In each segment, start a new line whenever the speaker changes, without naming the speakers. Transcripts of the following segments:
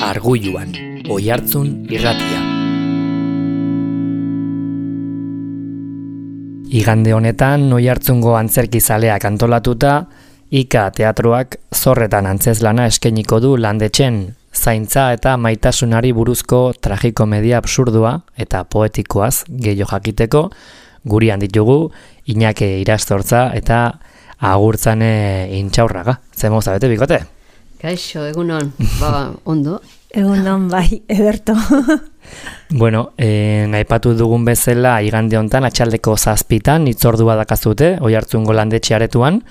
Arguluan, Oihartzun irratia. Igande honetan Oihartzungo antzerkizaleak antolatuta, Ika teatroak zorretan antzezlana eskainiko du landetxen, zaintza eta maitasunari buruzko tragikomedia absurdua eta poetikoaz gehiago jakiteko, gurean ditugu Iñake Irastortza eta Agurtzane Intxaurraga. Zer moza bete, bikote?
Kaixo, egunon, ondo.
Egunon, bai, ederto.
Bueno, aipatu dugun bezala igande hontan atxaldeko 7 hitzordua dakazute, Oihartzungo landetxe aretuan,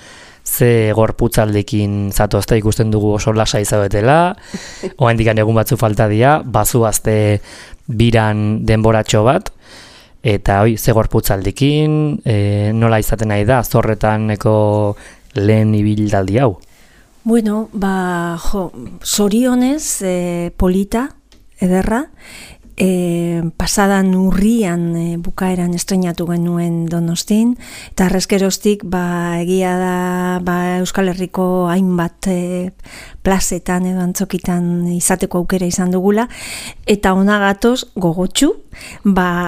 ze gorputzaldekin zatozte ikusten dugu oso lasa izabetela, oraindik egun batzu falta dira, bazuazte biran denboratxo bat, eta ze gorputzaldekin, nola izaten nahi da, zorretaneko lehen ibiltaldi hau?
Bueno, zorionez polita, ederra, pasadan urrian bukaeran estrenatu genuen Donostin, eta arrezkeroztik egia da Euskal Herriko hainbat plazetan edo antzokitan izateko aukera izan dugula, eta ona gatoz gogotsu,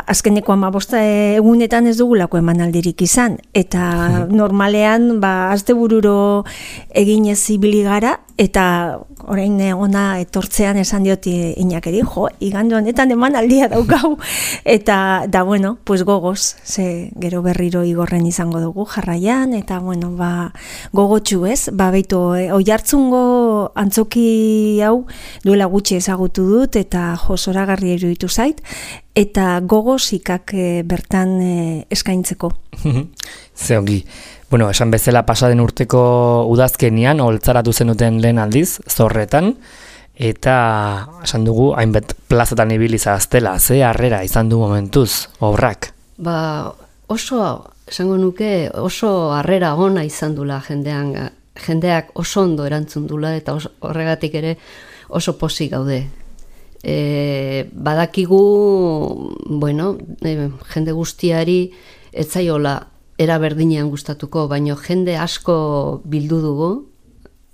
azkeneko 15 egunetan ez dugulako emanaldirik izan, eta normalean astebururo eginez ibili gara, eta orain ona etortzean esan diot Iñakeri, igande honetan emanaldia daukau, eta bueno, pues gogoz, ze gero berriro igorren izango dugu jarraian, eta bueno, gogotsu ez, beitu Oihartzungo antzoki hau duela gutxi ezagutu dut, eta zoragarri iruditu zait, eta gogoz Ikak bertan eskaintzeko.
Ze ongi. Bueno, esan bezala pasaden urteko udazkenian, holtzaratu zenuten lehen aldiz, zorretan, eta esan dugu, hainbat plazatan ibiliza aztela, ze harrera izan du momentuz, obrak?
Esango nuke, oso harrera ona izan dula jendeak oso ondo erantzun dula, eta horregatik ere oso pozik gaude. Badakigu, jende guztiari etzaiola era berdinean gustatuko, baino jende asko bildu dugu,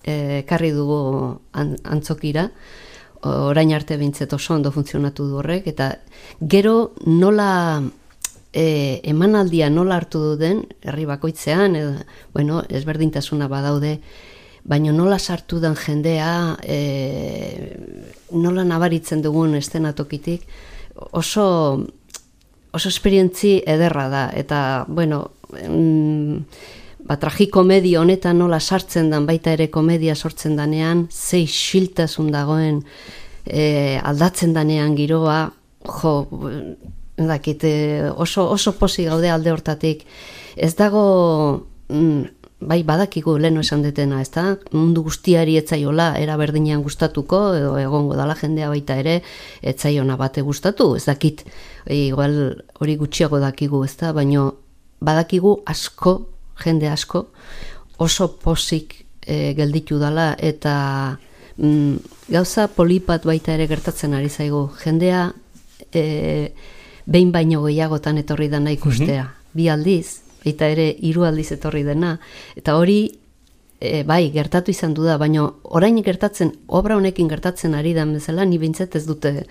ekarri dugu antzokira, orain arte behintzet oso ondo funtzionatu du horrek, eta gero nola emanaldia nola hartu duden, herri bakoitzean, ezberdintasuna badaude, baina nola sartu den jendea, nola nabaritzen dugun eszenatokitik, oso esperientzi ederra da, eta, tragikomedia honetan nola sartzen dan, baita ere komedia sortzen danean, ze isiltasun dagoen aldatzen danean giroa, oso posi gaude alde hortatik. Ez dago, badakigu leheno esan detena, ez da? Mundu guztiari etzaiola era berdinean gustatuko, edo egongo dala jendea baita ere, etzaiona bate gustatu, ez dakit, igual hori gutxiago dakigu, ez da? Baina badakigu asko, jende asko, oso posik gelditu dala, eta gauza polipat baita ere gertatzen ari zaigu. Jendea behin baino gehiagotan etorri dena ikustea. 2 aldiz, eta ere 3 aldiz etorri dena, eta hori gertatu izan du da, baina orain gertatzen, obra honekin gertatzen ari den bezala, ni bintzet ez dute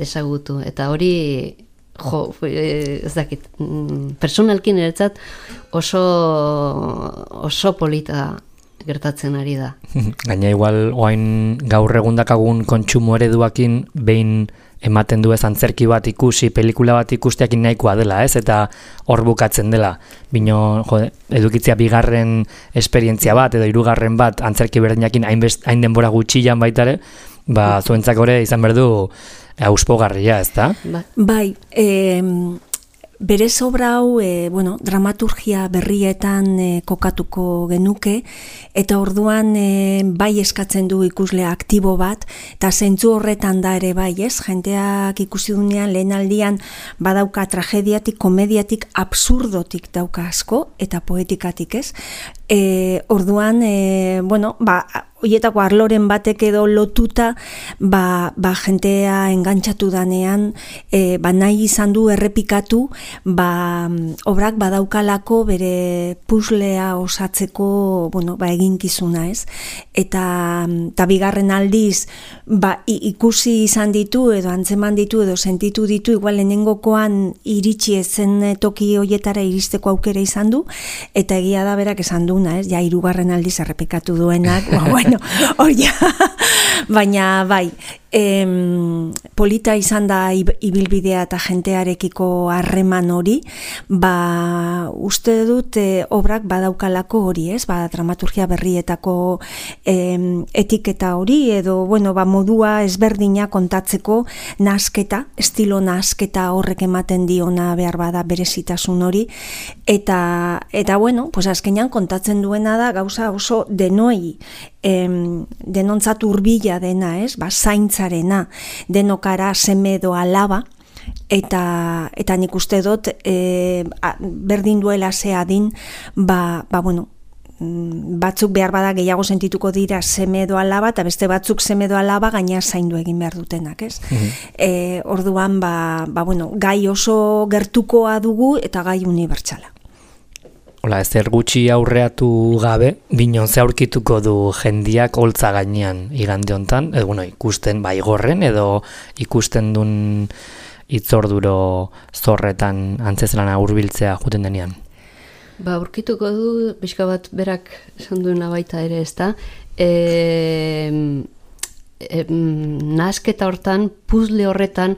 ezagutu, eta hori ez dakit, personalkin eretzat oso polita gertatzen ari da.
Gaina igual oain gaur egundakagun kontsumo ereduakin behin ematen du ez antzerki bat ikusi, pelikula bat ikusteakin nahikoa dela, ez? Eta hor bukatzen dela. Bino, edukitzea 2. esperientzia bat, edo 3. bat antzerki berdinakin hain denbora gutxian baitare, zuentzak ore izan berdu auspogarria, ez da?
Bai, berez obra hau, dramaturgia berrietan kokatuko genuke, eta orduan bai eskatzen du ikuslea aktibo bat, eta zentzu horretan da ere bai, ez? Jenteak ikusi dunean lehen aldian badauka tragediatik, komediatik, absurdotik dauka asko, eta poetikatik, ez? Orduan, hoietako arloren batek edo lotuta, jentea engantxatu danean, nahi izan du errepikatu, obrak badaukalako bere puslea osatzeko, eginkizuna, ez? Eta bigarren aldiz, ikusi izan ditu, edo antzeman ditu, edo sentitu ditu, igual lehenengokoan iritsi ezen toki hoietara iristeko aukera izan du, eta egia da berak esan duna, ez? Ja, hirugarren aldiz errepikatu duenak, baina bai, polita izan da ibilbidea eta jentearekiko harreman hori, uste dut obrak badaukalako hori, ez? Dramaturgia berrietako etiketa hori, edo, modua ezberdina kontatzeko nasketa, estilo nasketa horrek ematen diona behar bada berezitasun hori, eta azkenean kontatzen duena da gauza oso denoi, denontzat hurbila dena, ez? Zaintzarena, denokara seme edo alaba, eta nik uste dut berdin duela ze adin, batzuk behar bada gehiago sentituko dira seme edo alaba, eta beste batzuk seme edo alaba gaina zaindu egin behar dutenak, ez? Orduan, gai oso gertukoa dugu eta gai unibertsala.
Hola, ezer gutxi aurreatu gabe, binon ze aurkituko du jendiak holtza gainean igande hontan, ikusten gorren edo ikusten duen hitzorduro zorretan antzezlana hurbiltzea juten denean.
Aurkituko du, pixka bat berak esan duena baita ere, ezta? Nasketa hortan, puzle horretan,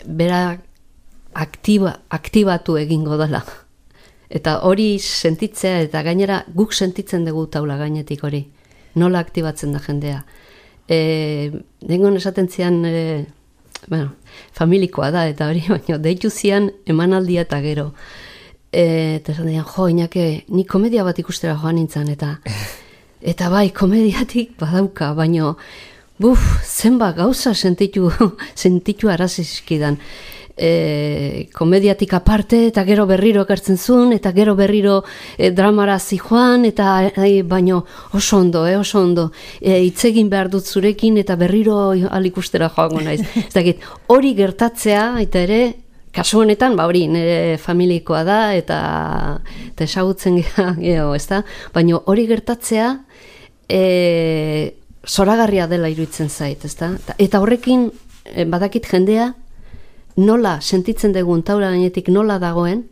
berak aktibatu egingo dela. Eta hori sentitzea, eta gainera guk sentitzen dugu taula gainetik hori. Nola aktibatzen da jendea. Dengon esaten zian, familikoa da, eta hori, baina deitu zian emanaldia eta gero. Eta esan dian, Inake, ni komedia bat ikustera joan nintzen, eta bai, komediatik badauka, baina, zenba gauza sentitu arazizkidan. Komediatik aparte, eta gero berriro ekartzen zuen, eta gero berriro dramara zijoan, eta baino oso ondo, hitzegin behar dut zurekin, eta berriro alikustera joango naiz. Hori gertatzea, eta ere, kasu honetan, hori nire familikoa da, eta esagutzen geho, ezta? Baina hori gertatzea, zoragarria dela iruditzen zait, ezta? Eta horrekin, badakit jendea, nola sentitzen dugun taula gainetik nola dagoen,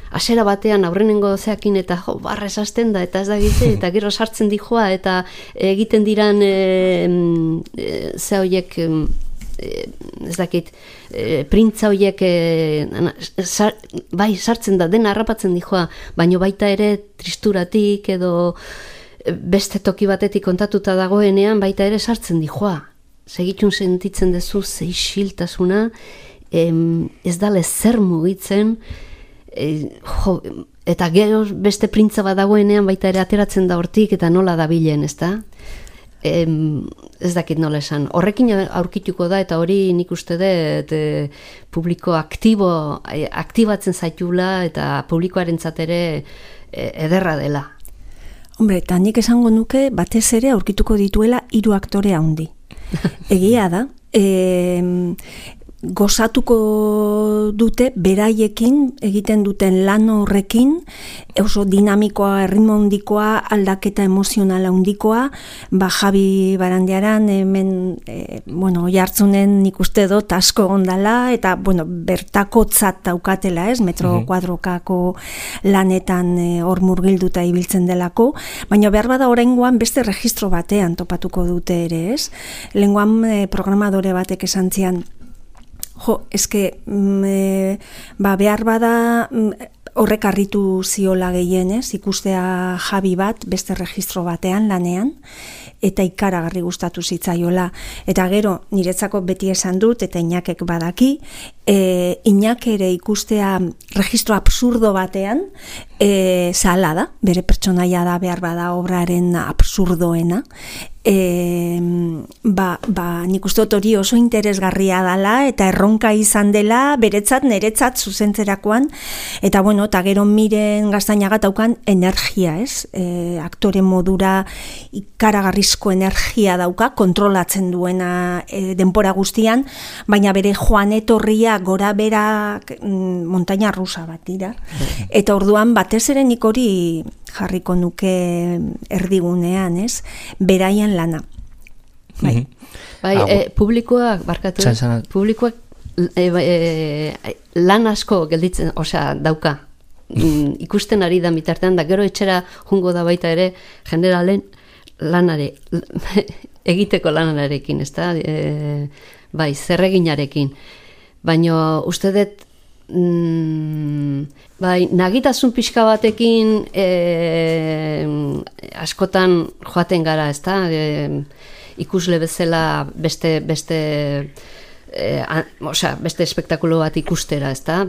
hasiera batean aurrenengo zeakin eta barrez hasten da, eta ez da gitze, eta gero sartzen dijoa, eta egiten diran ze horiek, ez dakit, printza horiek, bai, sartzen da, dena harrapatzen dijoa, baino baita ere tristuratik edo beste toki batetik kontatuta dagoenean, baita ere sartzen dijoa. Segitun sentitzen duzu zeixiltasuna, ez dale zer mugitzen, eta gero beste printza bat dagoenean baita ere ateratzen da hortik eta nola dabilen, ez da? Ez dakit nola esan. Horrekin aurkituko da, eta hori nik uste dut publiko aktibatzen zaitula, eta publikoarentzat ere ederra dela.
Hombre, eta nik esango nuke batez ere aurkituko dituela 3 aktore handi. Egia da, gozatuko dute beraiekin egiten duten lan horrekin, oso dinamikoa, erritmo handikoa, aldaketa emozionala handikoa, Javi Barandiaran hemen, oihartzunen nik uste dut asko ondala, eta, bertakotzat daukatela, ez, metro kuadrokako lanetan hor murgilduta ibiltzen delako, baina behar bada oraingoan beste registro batean topatuko dute ere, ez? Lehengoan programadore batek esan zian, behar bada horrek harritu ziola gehienez, ikustea Javi bat beste registro batean lanean, eta ikaragarri gustatu zitzaiola. Eta gero, niretzako beti esan dut, eta Inakek badaki, Inak ere ikustea registro absurdo batean, zahala da, bere pertsonaia da behar bada obraren absurdoena, nik uste dut hori oso interesgarria dela eta erronka izan dela beretzat, neretzat zuzentzerakoan, eta bueno, eta gero Miren Gaztañaga daukan energia, ez? Aktore modura ikaragarrizko energia dauka, kontrolatzen duena denbora guztian, baina bere joan etorria gora bera montaña rusa bat dira. Eta orduan batez ere nik hori jarriko nuke erdigunean, ez? Beraien lana. Bai,
publikoak, barkatu, publikoak lan asko gelditzen, osea, dauka. Ikusten ari da bitartean, da gero etxera jungo da baita ere, generalen lanare, egiteko lanarekin, ez da? Bai, zerreginarekin. Baina uste dut, bai, nagitasun pixka batekin askotan joaten gara, ez da? Ikusle bezala beste espektakulo bat ikustera, ez da?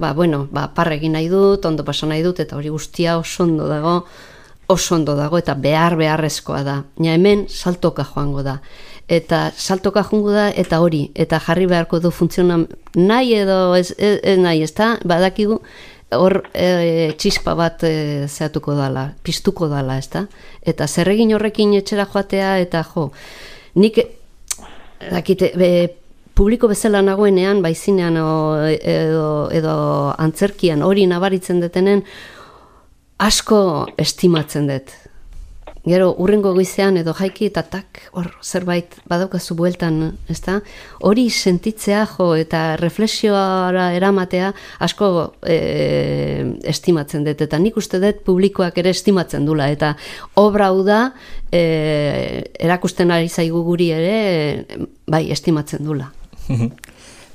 Parregin nahi dut, ondo paso nahi dut, eta hori guztia oso ondo dago, eta beharrezkoa da. Nia hemen saltoka joango da. Eta saltoka joango da, eta hori, eta jarri beharko du funtzionan nahi edo ez nahi, ez da? Badakigu hor txispa bat zehatuko dala, piztuko dala, ez da? Eta zerregin horrekin etxera joatea, eta nik dakite, publiko bezala nagoenean, baizinean edo antzerkian hori nabaritzen detenen, asko estimatzen dut. Gero, urrengo goizean edo jaiki eta hor zerbait badaukazu bueltan, ezta? Hori sentitzea eta reflexioara eramatea asko estimatzen dut. Eta nik uste dut publikoak ere estimatzen dula. Eta obra hau da, erakusten ari zaigu guri ere, bai, estimatzen dula.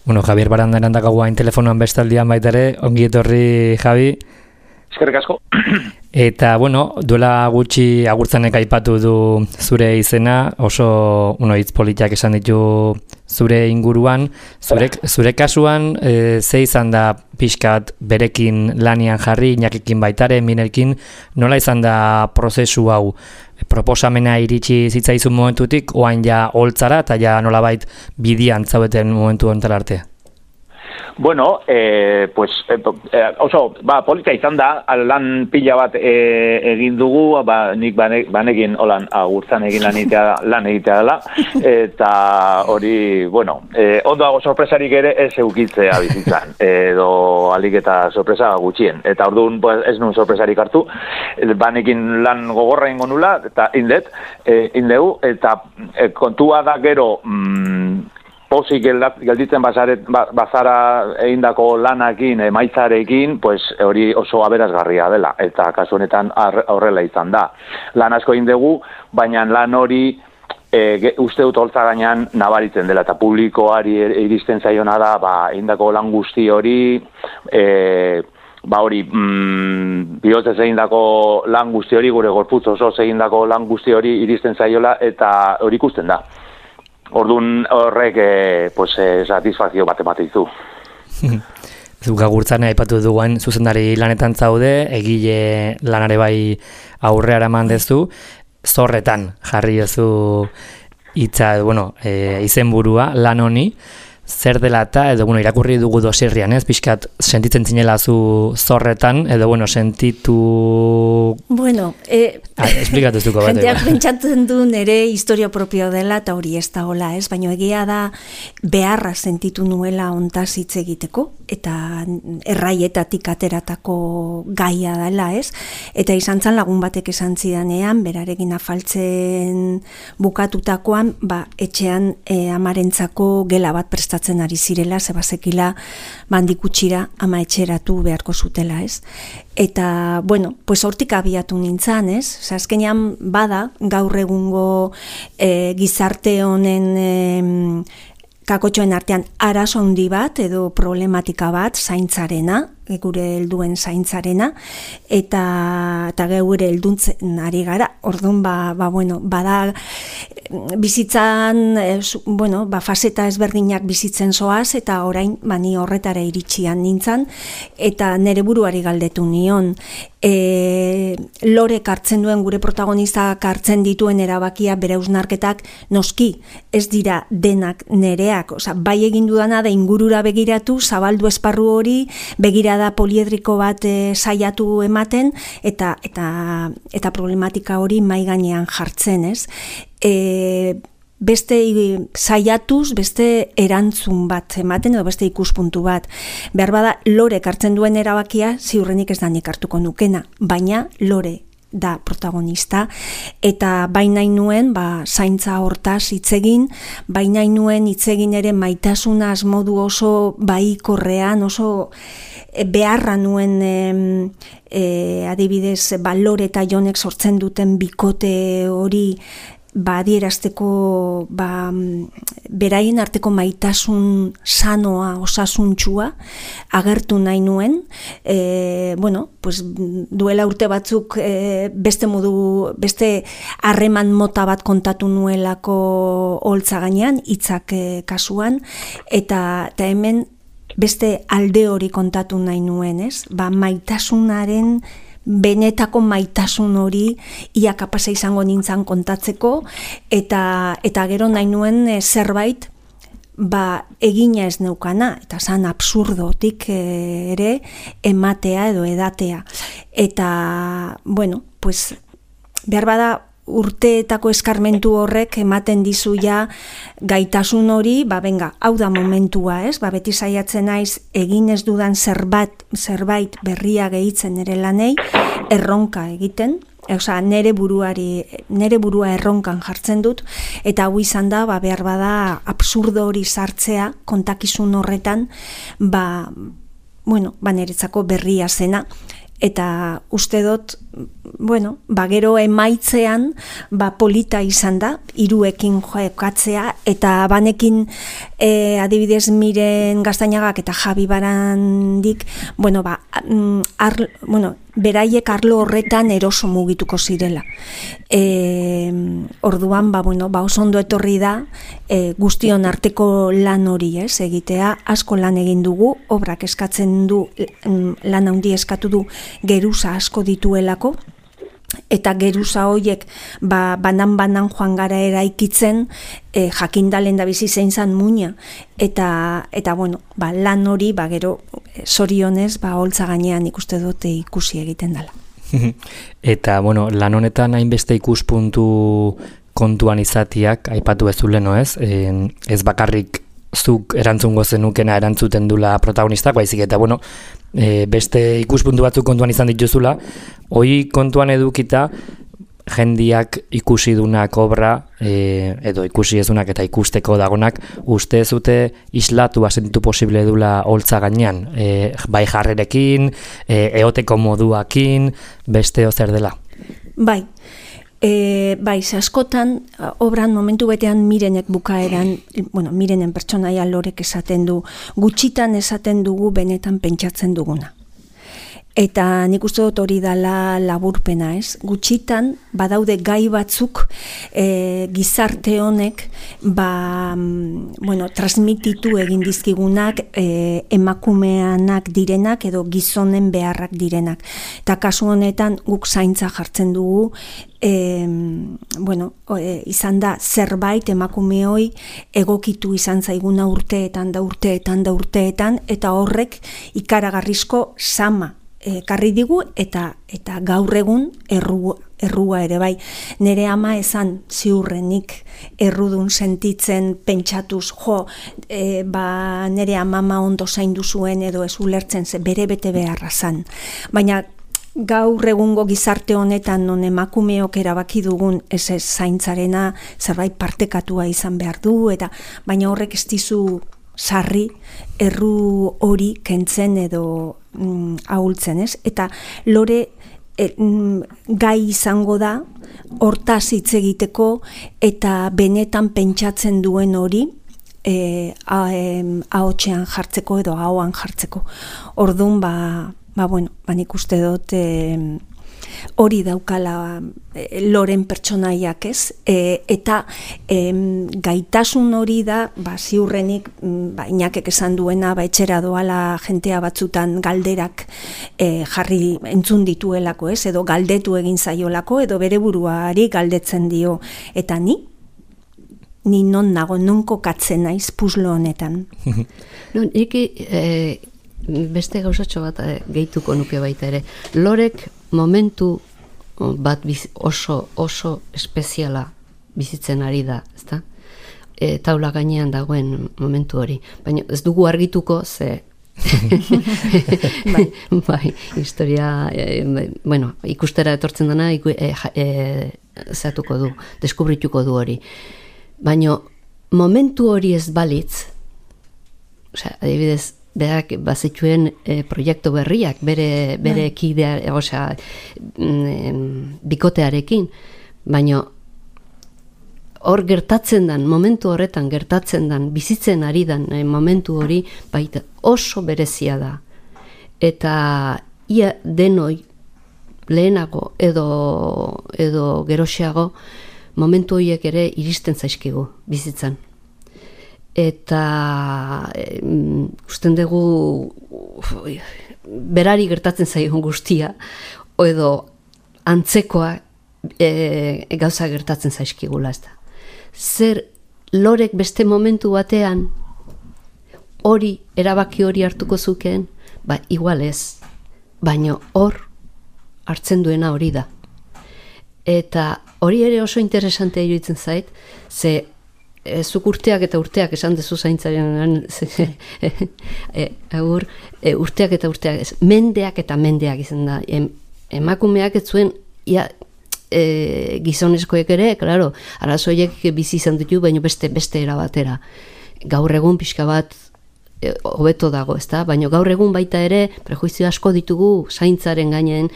Bueno, Javier Barandaran dakaguain telefonoan bestaldian baita ere, ongi etorri, Javi.
Eskerrik asko.
Eta, bueno, duela gutxi agurtzanek aipatu du zure izena, oso hitz politiak esan ditu zure inguruan. Zure kasuan, ze izan da pixkat berekin lanian jarri, Inakikin baitare, Mirekin, nola izan da prozesu hau? Proposamena iritsi zitzaizun momentutik, oain ja holtzara, eta ja nolabait bidian zaudeten momentu honetan arte?
Bueno, polita izan da, lan pila bat egin dugu, nik banekin holan agurtzan egin lan egitea dela, eta hori, ondoago sorpresarik ere ez eukitzea bizitzan, edo alik eta sorpresa gutxien, eta orduan ez nuen sorpresarik hartu, banekin lan gogorra ingo nula, eta indegu, eta kontua da gero, pozik gelditzen bazara egindako lanakin, emaitzarekin, hori oso aberasgarria dela, eta kasu honetan horrela izan da. Lan asko egin dugu, baina lan hori uste dut holtza gainean nabaritzen dela, eta publikoari iristen zaiona da, egindako lan guzti hori, bihotzez egindako lan guzti hori, gure gorputz oso egindako lan guzti hori iristen zaiola, eta hori ikusten da. Orduan horrek satisfazio bat ematen dizu.
Zuk agurtzan aipatu duguan zuzendari lanetan zaude, egile lanare bai aurreara eman dezu, zorretan jarri duzu hitza, izenburua lan honi, zer dela eta, edo irakurri dugu dosirrian, ez? Pixkat sentitzen zinela zu zorretan, edo sentitu... esplikatu zuko bat.
Jenteak pentsatzen du nire historia propio dela, eta hori ez da hola, ez? Baina egia da beharra sentitu nuela ontaz hitz egiteko, eta erraietatik ateratako gaia dela, ez? Eta izan zan lagun batek esan zidanean, berarekin afaltzen bukatutakoan, etxean amarentzako gela bat prestatzen ari zirela, zebazekila bandikutxira ama etxeratu beharko zutela, ez? Eta, hortik abiatu nintzen, ez? Azkenean bada, gaur egungo gizarte honen kakotxoen artean arazo handi bat edo problematika bat zaintzarena, gure helduen zaintzarena, eta geure helduntzen ari gara. Orduan, bada bizitzan, faseta ezberdinak bizitzen zoaz, eta orain, ni horretara iritsian nintzen, eta nere buruari galdetu nion. Lorek hartzen duen, gure protagonistak hartzen dituen erabakia, bere hausnarketak, noski, ez dira denak nereak, bai egin dudana da ingurura begiratu, zabaldu esparru hori, begirada poliedriko bat saiatu ematen, eta problematika hori mai gainean jartzen, ez? Beste saiatuz, beste erantzun bat ematen, edo beste ikuspuntu bat. Behar bada, Lorek hartzen duen erabakia, ziurrenik ez da nik hartuko nukena, baina Lore da protagonista, eta baina nuen zaintza hortaz hitzegin, baina nuen hitzegin ere maitasunaz modu oso baikorrean, oso beharra nuen adibidez Lore eta Jonek sortzen duten bikote hori adierazteko beraien arteko maitasun sanoa, osasuntxua agertu nahi nuen. Duela urte batzuk beste harreman mota bat kontatu nuelako holtza gainean, hitzak kasuan, eta hemen beste alde hori kontatu nahi nuen, ez? Maitasunaren benetako maitasun hori ia kapasa izango nintzen kontatzeko, eta gero nahi nuen zerbait egina ez neukana, eta zan absurdotik ere ematea edo edatea. Eta, behar bada urteetako eskarmentu horrek ematen dizu gaitasun hori, hau da momentua, ez? Beti saiatzen naiz egin ez dudan zerbait berria gehitzen nere lanei, erronka egiten, nere burua erronkan jartzen dut, eta hau izan da, behar bada absurdo hori sartzea kontakizun horretan, niretzako berria zena. Eta uste dut, gero emaitzean polita izan da, hiruekin jokatzea, eta banekin adibidez Miren Gaztainagak eta Javi Barandik, beraiek arlo horretan eroso mugituko zirela. Orduan, oso ondo etorri da guztion arteko lan hori, egitea, asko lan egin dugu, obrak eskatzen du, lan handi eskatu du, geruza asko dituelako, eta geruza horiek banan joan gara eraikitzen, jakindalen da bizi zein zan muina, eta lan hori gero zorionez holtza gainean ikuste dute ikusi egiten dela.
Eta lan honetan hainbeste ikuspuntu kontuan izatiak aipatu ez zuleno, ez? Ez bakarrik zuk erantzungo zenukena erantzuten dula protagonistak, baizik eta beste ikuspuntu batzuk kontuan izan dituzula, hori kontuan edukita jendiak ikusi dunak obra, edo ikusi ez dunak eta ikusteko dagonak, uste zute islatu asentitu posible dula holtza gainean, bai jarrerekin, eoteko moduakin, beste ozer dela?
Bai, askotan, obran momentu betean Mirenek bukaeran, Mirenen pertsonaia Lorek esaten du, gutxitan esaten dugu benetan pentsatzen duguna. Eta nik uste dut hori dala laburpena, ez? Gutxitan, badaude gai batzuk gizarte honek transmititu egin dizkigunak emakumeanak direnak edo gizonen beharrak direnak. Eta kasu honetan guk zaintza jartzen dugu, izan da zerbait emakumeoi egokitu izan zaiguna urteetan, eta horrek ikaragarrizko sama karri digu eta gaur egun errua ere bai. Nere ama esan ziurrenik errudun sentitzen pentsatuz, nere amama ondo zaindu zuen edo ez ulertzen bere bete beharra zan. Baina gaur egungo gizarte honetan non emakumeok erabaki dugun ez zaintzarena zerbait partekatua izan behar du, baina horrek ez dizu sarri erru hori kentzen edo ahultzen, ez? Eta Lore gai izango da hortaz hitz egiteko eta benetan pentsatzen duen hori ahotsean jartzeko edo ahoan jartzeko. Orduan, nik uste dut hori daukala loren pertsonaiak, ez? Eta gaitasun hori da, ziurrenik, Inakek esan duena, etxera doala jentea batzutan galderak jarri entzun dituelako, ez? Edo galdetu egin zaiolako, edo bere buruari galdetzen dio. Eta ni non nago, non kokatzen naiz puzlo honetan.
Beste gauzatxo bat gehituko nuke baita ere. Lorek momentu bat oso espeziala bizitzen ari da, ezta? Taula gainean dagoen momentu hori. Baina ez dugu argituko, ze bai, historia, ikustera etortzen dena zatuko du, deskubrituko du hori. Baina momentu hori ez balitz, adibidez, berak bazituen proiektu berriak, bere kidea, bikotearekin, baina hor gertatzen dan, momentu horretan gertatzen dan, bizitzen ari dan momentu hori, baita oso berezia da. Eta ia denoi lehenago edo geroxeago momentu horiek ere iristen zaizkigu bizitzan. Eta usten dugu berari gertatzen zaigun guztia edo antzekoa gauza gertatzen zaizkigula, ez da. Zer lorek beste momentu batean erabaki hori hartuko zukeen, igual ez, baina hor hartzen duena hori da. Eta hori ere oso interesantea iruditzen zait, ze zuk urteak eta urteak esan dezu zaintzaren urteak eta urteak, mendeak eta mendeak izan da. Emakumeak ez zuen gizonezkoek ere, klaro, arazoiek bizi izan ditu, baina beste era batera. Gaur egun pixka bat hobeto dago, ezta? Baina gaur egun baita ere prejuizio asko ditugu zaintzaren gainen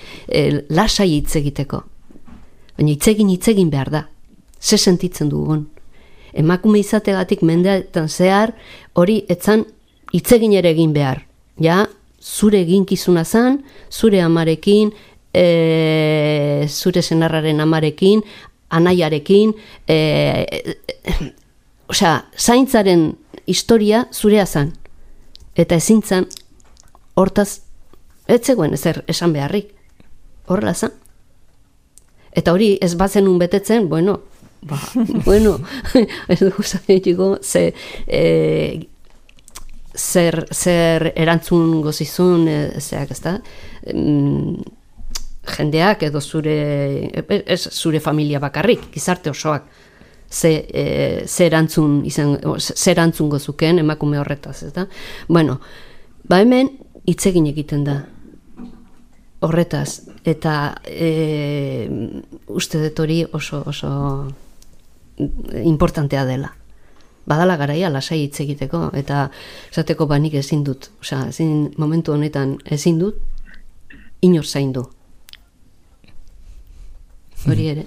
lasai hitz egiteko. Baina hitz egin behar da. Ze sentitzen dugun. Emakume izategatik mendeetan zehar hori etzan hitz egin ere egin behar. Ja, zure eginkizuna zan, zure amarekin, zure senarraren amarekin, anaiarekin, zaintzaren historia zurea zan. Eta ezin zan, hortaz, ez zegoen ezer esan beharrik. Horrela zan. Eta hori ez bazenun betetzen, ez dugu zaitiko, zer erantzun gozizun, zeak, ez da? Jendeak edo zure familia bakarrik, gizarte osoak, zer erantzun gozuken emakume horretaz, ez da? Hemen hitz egin egiten da horretaz, eta uste dut hori oso importantea dela. Badala garaia lasai hitz egiteko, eta esateko nik ezin dut, momentu honetan ezin dut, inor zaindu. Hori ere.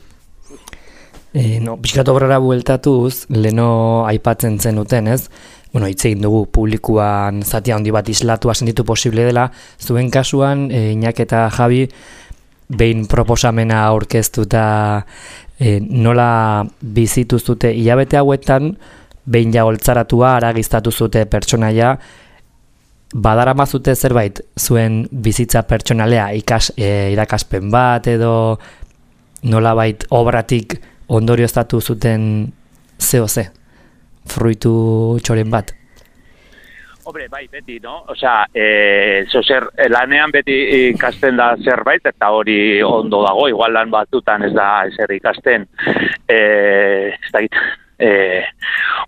Pixkat obrara bueltatuz, leno aipatzen zenuten, ez? Hitz egin dugu publikoan zati handi bat islatua sentitu posible dela, zuen kasuan, Iñak eta Javi, behin proposamena aurkeztuta nola bizitu zute hilabete hauetan, behin jagoltzaratua aragiztatu zute pertsonaia, badarama zute zerbait zuen bizitza pertsonalea irakaspen bat edo nolabait obratik ondorioztatu zuten ze, fruitu txoren bat?
Hombre, bai, beti, no? Lanean beti ikasten da zerbait, eta hori ondo dago, igual lan batzutan ez da ezer ikasten. Ez da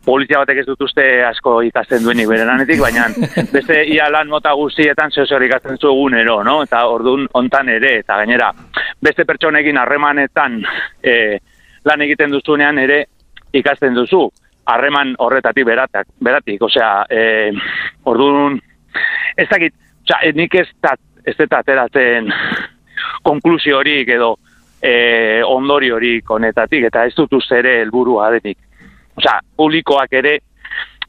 polizia batek ez dut uste asko ikasten duenik bere lanetik, baina beste ia lan mota guztietan zer ikasten zu egunero, no? Eta orduan hontan ere, eta gainera, beste pertsonekin harremanetan lan egiten duzunean ere ikasten duzu. Harreman horretatik beratik, orduan, ez dakit, nik ez dut ateratzen konklusio horik edo ondori horik honetatik, eta ez dut uste ere helburua denik. Publikoak ere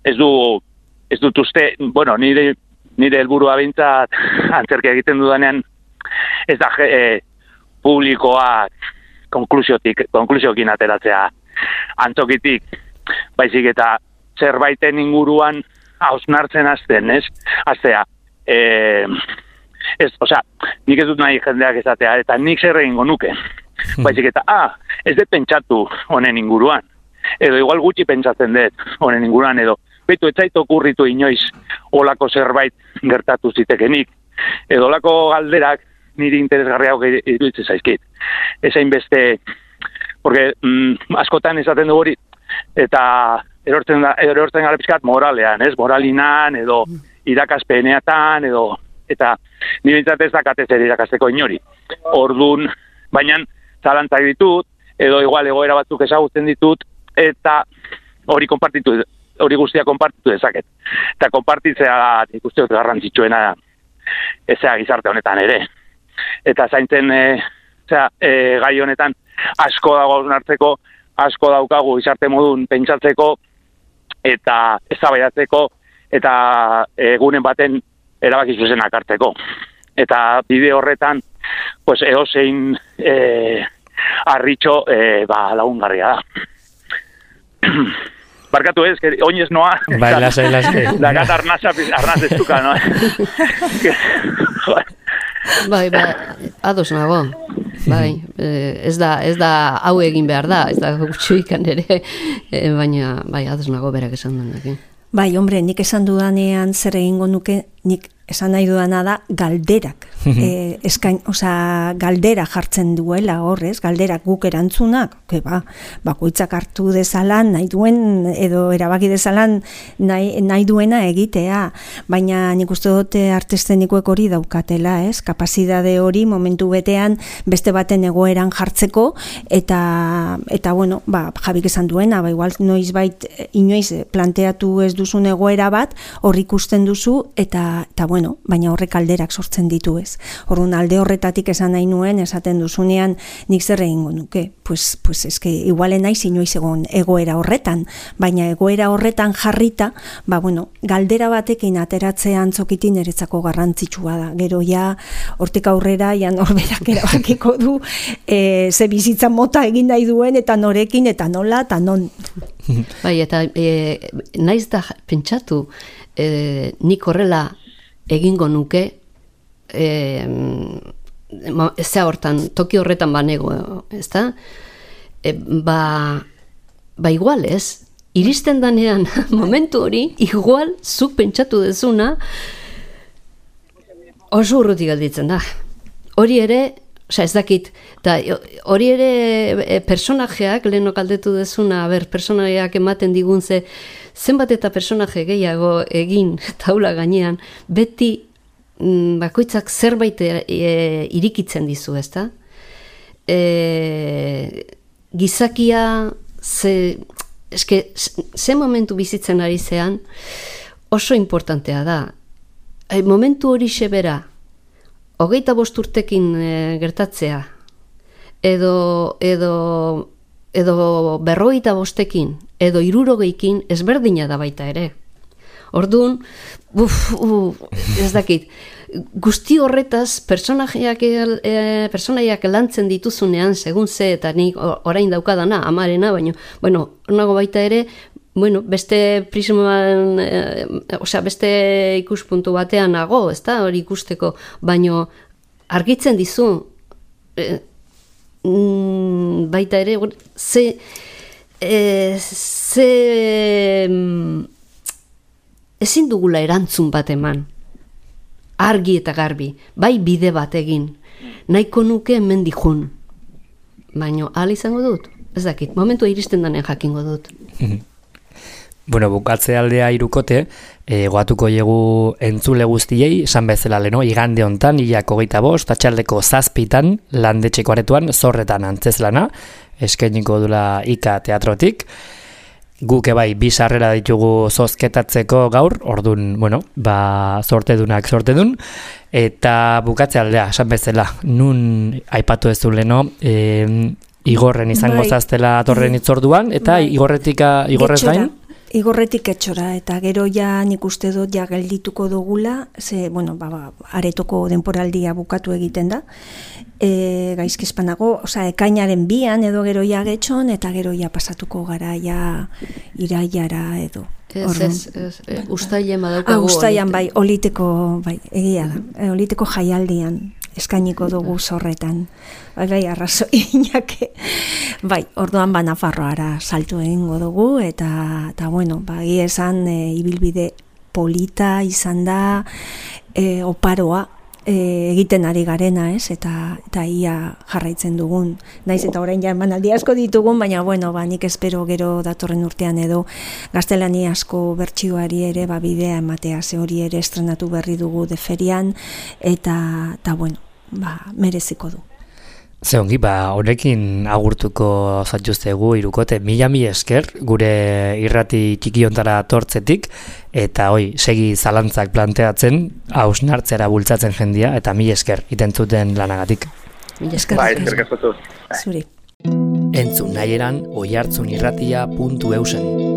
ez dut uste, bueno, nire helburua behintzat antzerkia egiten dudanean, ez da publikoak konklusiokin ateratzea antzokitik, baizik eta zerbaiten inguruan hausnartzen hasten, ez? Hastea, nik ez dut nahi jendeak esatea, eta nik zer egingo nuke. Baizik eta, ez dut pentsatu honen inguruan. Edo igual gutxi pentsatzen dut honen inguruan, edo betu ez zait okurritu inoiz olako zerbait gertatu zitekenik. Edo olako galderak niri interesgarriago iruditzen zaizkit. Ezain beste, porque askotan esaten du hori, eta erortzen gara pizkat moralean, ez? Moralinan, edo irakaspeneatan, edo eta ni bintzat ez dakatez ere irakasteko inori. Ordun, baina zalantzak ditut, edo igual egoera batzuk ezagutzen ditut, eta hori guztia konpartitu dezaket. Eta konpartitzea nik uste dut garrantzitsuena ezea gizarte honetan ere. Eta zaintzen gai honetan asko dago hausnartzeko, asko daukagu gizarte modun pentsatzeko, eta eztabaidatzeko, eta egunen baten erabaki zuzenak hartzeko. Eta bide horretan, pues edozein harritxo lagungarria da. Barkatu ez, que oinez noa.
Bai, lasai.
Dakat arnaz ez duka, no?
Bai, ados nago. Bai, ez da hau egin behar da, ez da gutxuikan ere, baina bai, ados nago berak esan duenak.
Bai, hombre, nik esan dudanean zer egingo nuke, nik esan nahi dudana da galderak. Galdera jartzen duela horrez, galderak guk erantzunak, bakoitzak hartu dezalan, nahi duen, edo erabaki dezalan nahi duena egitea, baina nik uste dute artestenikoek hori daukatela, ez? Kapazidade hori momentu betean beste baten egoeran jartzeko, eta bueno, Jabik esan duena, igual inoiz planteatu ez duzun egoera bat, hor ikusten duzu, eta bueno, baina horrek alderak sortzen ditu ez. Orduan alde horretatik esan nahi nuen, esaten duzunean nik zer egingo nuke. Pues eske igualen naiz inoiz egon egoera horretan, baina egoera horretan jarrita, galdera batekin ateratzea antzokitin niretzako garrantzitsua da. Gero ja hortik aurrera norberak erabakiko du ze bizitza mota egin nahi duen eta norekin eta nola eta non.
Bai, eta naiz da pentsatu nik horrela egingo nuke zea hortan, toki horretan banego, ezta? Igual ez, iristen danean momentu hori, igual zuk pentsatu dezuna oso urrutik gelditzen da. Hori ere, ez dakit, hori ere personajeak, lehenok aldetu dezuna, personajeak ematen digun zenbat eta personaje gehiago egin taula gainean, beti bakoitzak zerbait irikitzen dizu, ezta? Gizakia ze momentu bizitzen ari zean oso importantea da. Momentu hori sebera 25 urtekin gertatzea edo 55ekin edo 60ekin ezberdina da baita ere. Orduan, ez dakit, guzti horretaz personaiak lantzen dituzunean, segun ze, eta nik orain daukadana, amarena, baina, nago baita ere, beste prisman, beste ikuspuntu batean nago, ez da, hori ikusteko, baina argitzen dizu, baita ere, ezin dugula erantzun bat eman, argi eta garbi, bai bide bat egin, nahiko nuke hemen dijun, baina ahal izango dut, ez dakit, momentu iristen danen jakingo dut.
Bukatze aldea irukote, goatuko jegu entzule guztiei, esan bezala leno, igande hontan, 25, atxaldeko 7 landetxeko aretoan, Zorretan antzezlana, eskainiko dula Ika teatrotik. Guke bai, 2 sarrera ditugu zozketatzeko gaur, ordun, sortedunak sortedun, eta bukatze aldea, esan bezala, nun aipatu ez du leno, Igorren izango zaztela atorren itzorduan, eta Igorrez gain?
igorretik etxora, eta gero ja nik uste dut ja geldituko dugula, ze, bueno, aretoko denporaldia bukatu egiten da, gaizkizpanago, ekainaren 2an edo gero ja getxon, eta gero ja pasatuko gara ja iraiara edo.
Uztailean badaukagu.
Uztailean bai, oliteko, bai, egia da, oliteko jaialdian eskainiko dugu zorretan. Bai, arrazoi inake. Bai, orduan Nafarroara saltu egingo dugu, eta bueno, egia esan ibilbide polita izan da, oparoa egiten ari garena, ez? Eta ia jarraitzen dugun. Naiz eta orain ja emanaldi asko ditugun, baina bueno, nik espero gero datorren urtean edo gaztelania asko bertsioari ere bidea ematea, ze hori ere estrenatu berri dugu de ferian, eta bueno, mereziko du.
Ze ongi, honekin agurtuko zaituztegu Hirukote, mila esker gure irrati txikiontara tortzetik, eta segi zalantzak planteatzen, hausnartzera bultzatzen jendia, eta mila esker itentzuten lanagatik.
Mila esker.
Eskerrik asko.
Zuri.
Entzun nahieran oihartzunirratia.eusen.